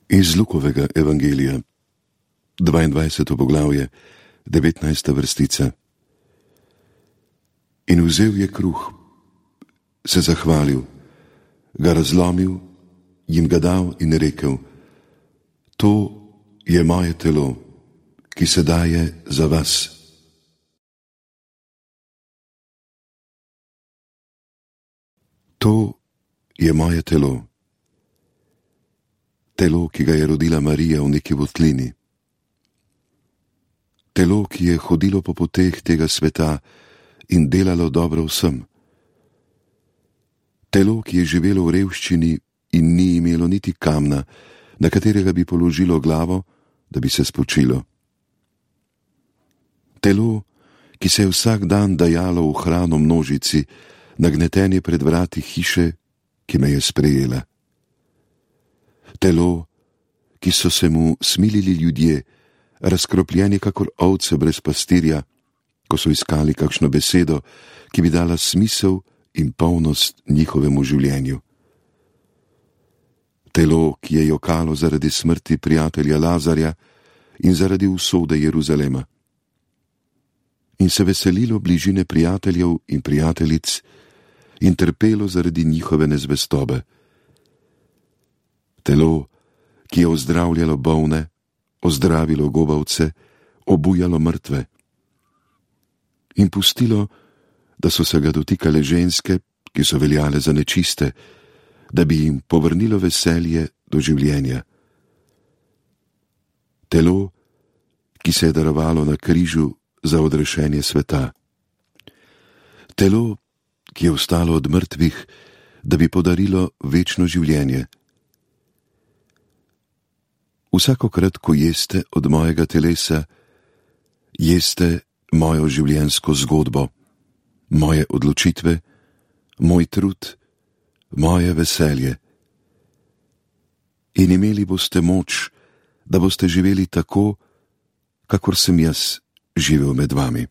Iz Lukovega evangelija, 22. poglavje, 19. vrstica. In vzel je kruh, se zahvalil, ga razlomil, jim ga dal in rekel: To je moje telo, ki se daje za vas. To je moje telo. Telo, ki ga je rodila Marija v neki votlini. Telo, ki je hodilo po poteh tega sveta in delalo dobro vsem. Telo, ki je živelo v revščini in ni imelo niti kamna, na katerega bi položilo glavo, da bi se spočilo. Telo, ki se je vsak dan dajalo v hrano množici, nagnetenje pred vrati hiše, ki me je sprejela. Telo, ki so se mu smilili ljudje, razkropljeni kakor ovce brez pastirja, ko so iskali kakšno besedo, ki bi dala smisel in polnost njihovemu življenju. Telo, ki je jokalo zaradi smrti prijatelja Lazarja in zaradi usode Jeruzalema. In se veselilo bližine prijateljev in prijateljic in trpelo zaradi njihove nezvestobe. Telo, ki je ozdravljalo bolne, ozdravilo gobavce, obujalo mrtve. In pustilo, da so se ga dotikale ženske, ki so veljale za nečiste, da bi jim povrnilo veselje do življenja. Telo, ki se je darovalo na križu za odrešenje sveta. Telo, ki je vstalo od mrtvih, da bi podarilo večno življenje. Vsakokrat, ko jeste od mojega telesa, jeste mojo življenjsko zgodbo, moje odločitve, moj trud, moje veselje. In imeli boste moč, da boste živeli tako, kakor sem jaz živel med vami.